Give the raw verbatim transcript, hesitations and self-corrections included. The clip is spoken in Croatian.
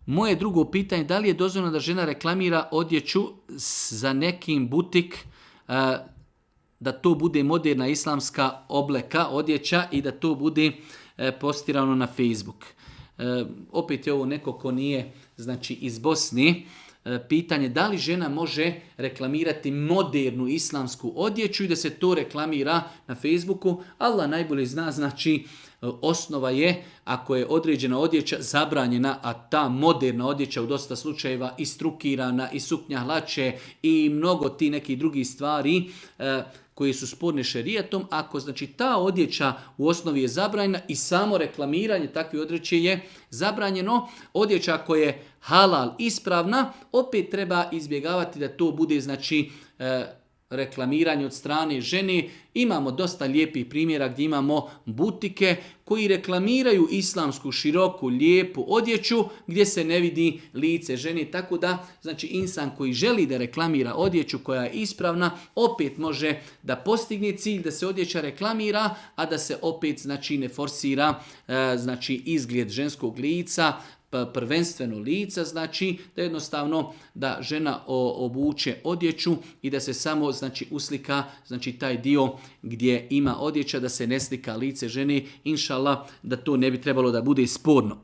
Moje drugo pitanje, da li je dozvoljeno da žena reklamira odjeću za nekim butik, da to bude moderna islamska obleka, odjeća i da to bude postirano na Facebook. Opet je ovo neko ko nije, znači, iz Bosne. Pitanje da li žena može reklamirati modernu islamsku odjeću i da se to reklamira na Facebooku. Allah najbolje zna, znači osnova je ako je određena odjeća zabranjena, a ta moderna odjeća u dosta slučajeva i strukirana i suknja hlače i mnogo ti nekih drugih stvari koji su sporne šerijatom, ako znači ta odjeća u osnovi je zabranjena i samo reklamiranje takve odjeće je zabranjeno, odjeća koja je halal ispravna, opet treba izbjegavati da to bude znači reklamiranje od strane žene. Imamo dosta lijepih primjera gdje imamo butike koji reklamiraju islamsku široku, lijepu odjeću gdje se ne vidi lice žene. Tako da, znači, insan koji želi da reklamira odjeću koja je ispravna, opet može da postigne cilj da se odjeća reklamira, a da se opet, znači, ne forsira znači, izgled ženskog lica, prvenstveno lica, znači da jednostavno da žena obuče odjeću i da se samo znači uslika znači taj dio gdje ima odjeća, da se ne slika lice žene, inšallah da to ne bi trebalo da bude sporno.